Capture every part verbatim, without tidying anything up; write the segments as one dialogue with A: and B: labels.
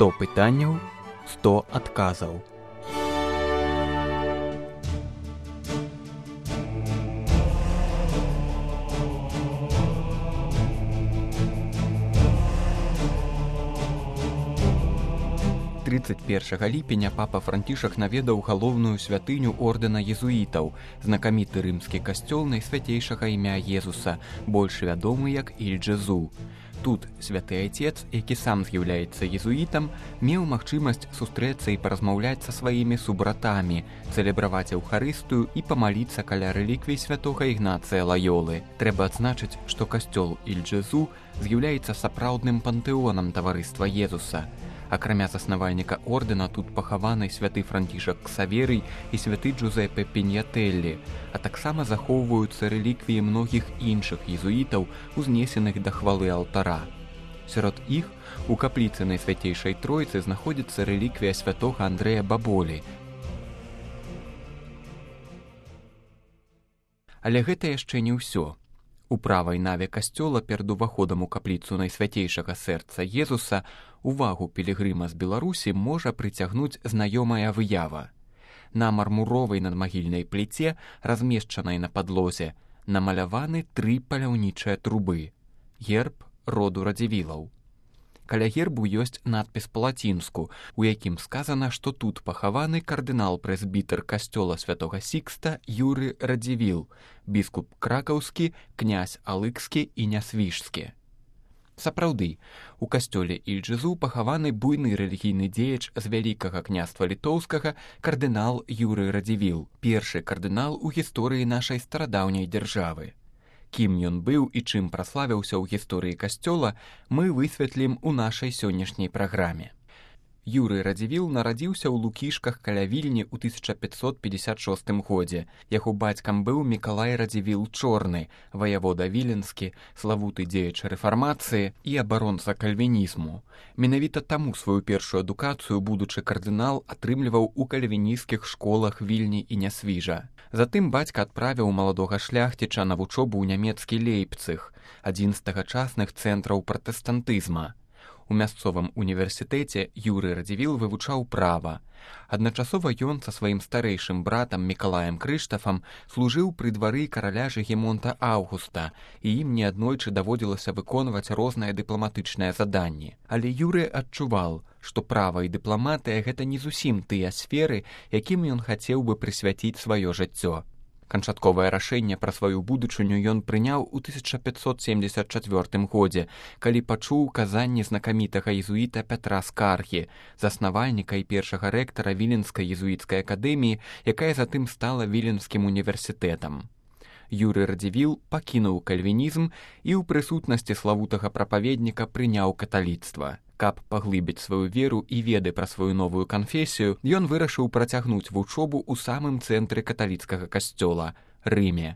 A: сто пытанняў, сто адказаў. трыццаць першага ліпеня папа Францішак наведаў галоўную святыню ордэна езуітаў, знакаміты рымскі касцёл найсвяцейшага імя Езуса, больш вядомы як Іль-Джезу. Тут святы айцец, які сам з'яўляецца езуітам, меў магчымасць сустрэцца і паразмаўляць са сваімі субратамі, цэлебраваць эўхарыстыю і памаліцца каля рэліквій святога Ігнацыя Лаёлы. Трэба адзначыць, што касцёл Іль-Джезу з'яўляецца сапраўдным пантэонам таварыства Езуса. Акрамя заснавальніка ордэна тут пахаваны святы Францішак Ксаверый і святы Джузеппе Піньятэллі, а таксама захоўваюцца рэліквіі многіх іншых езуітаў, узнесеных да хвалы алтара. Сярод іх у капліцы Найсвяцейшай Тройцы знаходзіцца рэліквія святога Андрэя Баболі. Але гэта яшчэ не ўсё. У правай наве касцёла перад уваходам у капліцу Найсвяцейшага сэрца Езуса увагу пілігрыма з Беларусі можа прыцягнуць знаёмая выява. На мармуровай надмагільнай пліце, размешчанай на падлозе, намаляваны тры паляўнічыя трубы – герб роду Радзівілаў. Каля гербу ёсць надпіс па-лацінску, у якім сказана, што тут пахаваны кардынал-прэзбітэр касцёла святога Сікста Юры Радзівіл, біскуп кракаўскі, князь алыкскі і нясвіжскі. Сапраўды, у касцёле Іль-Джезу пахаваны буйны рэлігійны дзеяч з Вялікага княства літоўскага кардынал Юры Радзівіл, першы кардынал у гісторыі нашай старадаўняй дзяржавы. Кім ён быў і чым праславіўся ў гісторыі касцёла, мы высветлім у нашай сённяшняй праграме. Юрый Радзівіл нарадзіўся ў Лукішках каля Вільні ў тысяча пятьсот пятьдесят шостым годзе. Яго бацькам быў Мікалай Радзівіл Чорны, ваявода віленскі, славуты дзеяч рэфармацыі і абаронца кальвінізму. Менавіта таму сваю першую адукацыю будучы кардынал атрымліваў у кальвінісцкіх школах Вільні і Нясвіжа. Затым бацька адправіў маладога шляхціча на вучобу ў нямецкі Лейпцыг, адзін з тагачасных цэнтраў пратэстантызма. У мясцовым універсітэце Юрый Радзівіл вывучаў права. Адначасова ён са сваім старэйшым братам Мікалаем Крыштафам служыў пры двары караля Жыгімонта Аўгуста, і ім неаднойчы даводзілася выконваць розныя дыпламатычныя заданні. Але Юрый адчуваў, што права і дыпламатыя – гэта не зусім тыя сферы, якім ён хацеў бы прысвяціць сваё жыццё. Канчатковае рашэнне пра сваю будучыню ён прыняў у тысяча пятьсот семьдесят четвёртым годзе, калі пачуў казанні знакамітага езуіта Пятра Скаргі, заснавальніка і першага рэктара Віленскай езуіцкай акадэміі, якая затым стала Віленскім універсітэтам. Юрый Радзівіл пакінуў кальвінізм і ў прысутнасці славутага прапаведніка прыняў каталіцтва. Каб паглыбіць сваю веру і веды пра сваю новую канфесію, ён вырашыў працягнуць вучобу ў самым цэнтры каталіцкага касцёла – Рыме.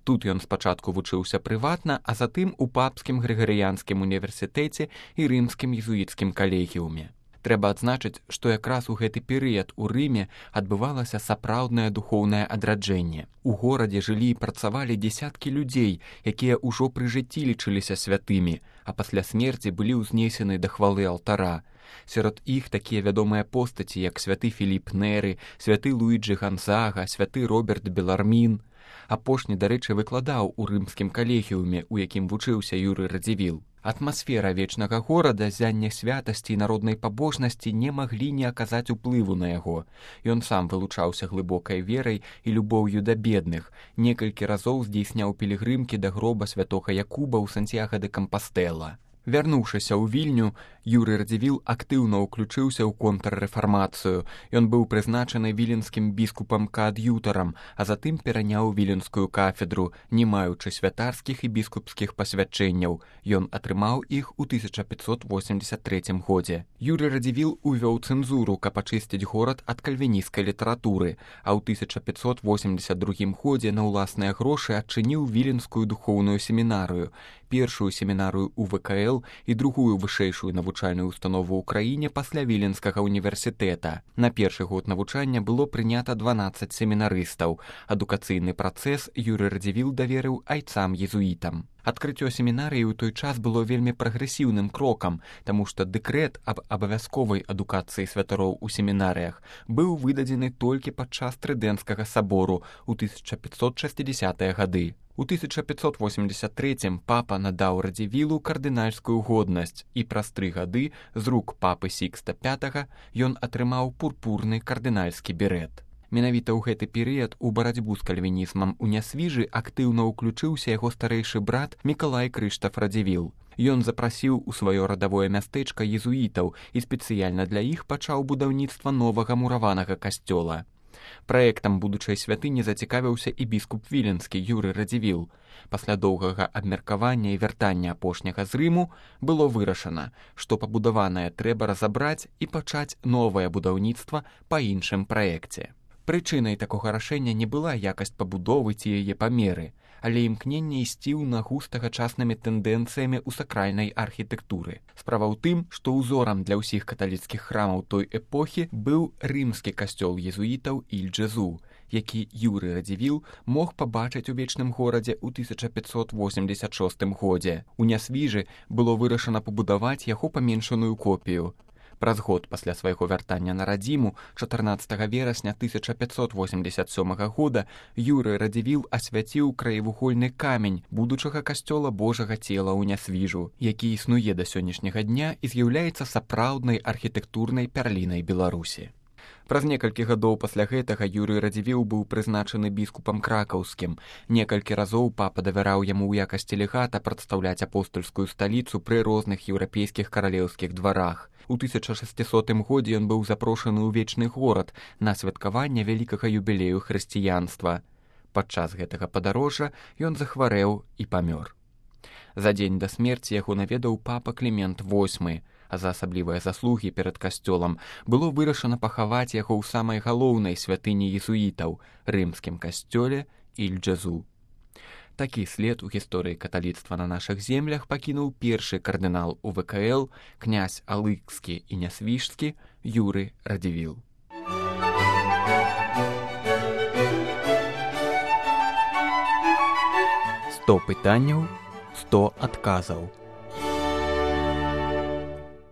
A: Тут ён спачатку вучыўся прыватна, а затым у папскім грыгарыянскім універсітэце і рымскім езуіцкім калегіуме. Трэба адзначыць, што якраз у гэты перыяд у Рыме адбывалася сапраўднае духоўнае адраджэнне. У горадзе жылі і працавалі дзесяткі людзей, якія ўжо пры жыцці лічыліся святымі, а пасля смерці былі ўзнесены да хвалы алтара. Сярод іх такія вядомыя постаці, як святы Філіп Неры, святы Луіджы Гонзага, святы Роберт Белармін. Апошні, дарэчы, выкладаў у рымскім калегіуме, у якім вучыўся Юрый Радзівіл. Атмасфера вечнага горада, зянне святасці і народнай пабожнасці не маглі не аказаць уплыву на яго. Ён сам вылучаўся глыбокай верай і любоўю да бедных, некалькі разоў здзейсняў пілігрымкі да гроба святога Якуба ў Сантьяго де Кампастэла. Вярнуўшыся ў Вільню, Юрый Радзівіл актыўна ўключыўся ў контррэфармацыю. Ён быў прызначаны віленскім біскупам-каад'ютарам, а затым пераняў віленскую кафедру, не маючы святарскіх і біскупскіх пасвячэнняў. Ён атрымаў іх у тысяча пятьсот восемьдесят третьем годзе. Юрый Радзівіл увёў цэнзуру, каб ачысціць горад ад кальвінісцкай літаратуры, а ў тысяча пятьсот восемьдесят другім годзе на ўласныя грошы адчыніў віленскую духоўную семінарыю, першую семінарыю у вэ ка эл і другую вышэйшую навучальную установу ў краіне пасля Віленскага універсітэта. На першы год навучання было прынята дванаццаць семінарыстаў. Адукацыйны працэс Юрый Радзівіл даверыў айцам-езуітам. Адкрыццё семінарыі ў той час было вельмі прагрэсіўным крокам, таму што дэкрэт аб абавязковай адукацыі святароў у семінарыях быў выдадзены толькі падчас Трыдэнцкага сабору ў тысяча пятьсот шестидесятыя гады. У тысяча пятьсот восемьдесят третьем папа надаў Радзівілу кардынальскую годнасць, і праз тры гады з рук папы Сікста пятага ён атрымаў пурпурны кардынальскі берэт. Менавіта ў гэты перыяд у барацьбу з кальвінізмам у Нясвіжы актыўна ўключыўся яго старэйшы брат Мікалай Крыштаф Радзівіл. Ён запрасіў у сваё радавое мястэчка езуітаў і спецыяльна для іх пачаў будаўніцтва новага мураванага касцёла. Праектам будучай святыні зацікавіўся і біскуп віленскі Юрый Радзівіл. Пасля доўгага абмеркавання і вяртання апошняга з Рыму было вырашана, што пабудаванае трэба разабраць і пачаць новае будаўніцтва па іншым праекце. Прычынай такога рашэння не была якасць пабудовы ці яе памеры, але імкненне ісці ў нагу з тагачаснымі тэндэнцыямі ў сакральнай архітэктуры. Справа ў тым, што ўзорам для ўсіх каталіцкіх храмаў той эпохі быў рымскі касцёл езуітаў Іль-Джезу, які Юрый Радзівіл мог пабачыць у вечным горадзе ў тысяча пятьсот восемьдесят шостым годзе. У Нясвіжы было вырашана пабудаваць яго паменшаную копію. Праз год пасля свайго вяртання на радзіму, чатырнаццатага верасня тысяча пятьсот восемьдесят сёмага года, Юрый Радзівіл асвяціў краевугольны камень будучага касцёла Божага цела ў Нясвіжу, які існуе да сённяшняга дня і з'яўляецца сапраўднай архітэктурнай пярлінай Беларусі. Праз некалькі гадоў пасля гэтага Юрый Радзівіл быў прызначаны біскупам кракаўскім. Некалькі разоў папа давяраў яму ў якасці легата прадстаўляць апостальскую сталіцу пры розных еўрапейскіх каралеўскіх дварах. У тысяча шасцісотым годзе ён быў запрошаны ў вечны горад на святкаванне вялікага юбілею хрысціянства. Падчас гэтага падарожжа ён захварэў і памёр. За дзень да смерці яго наведаў папа Клімент восьмы, а за асаблівыя заслугі перад касцёлам было вырашана пахаваць яго ў самай галоўнай святыні езуітаў — рымскім касцёле Іль-Джезу. Такі след у гісторыі каталіцтва на нашых землях пакінуў першы кардынал У Вэ Ка Эл, князь Алыкскі і Нясвіжскі Юрый Радзівіл. сто пытанняў, сто адказаў.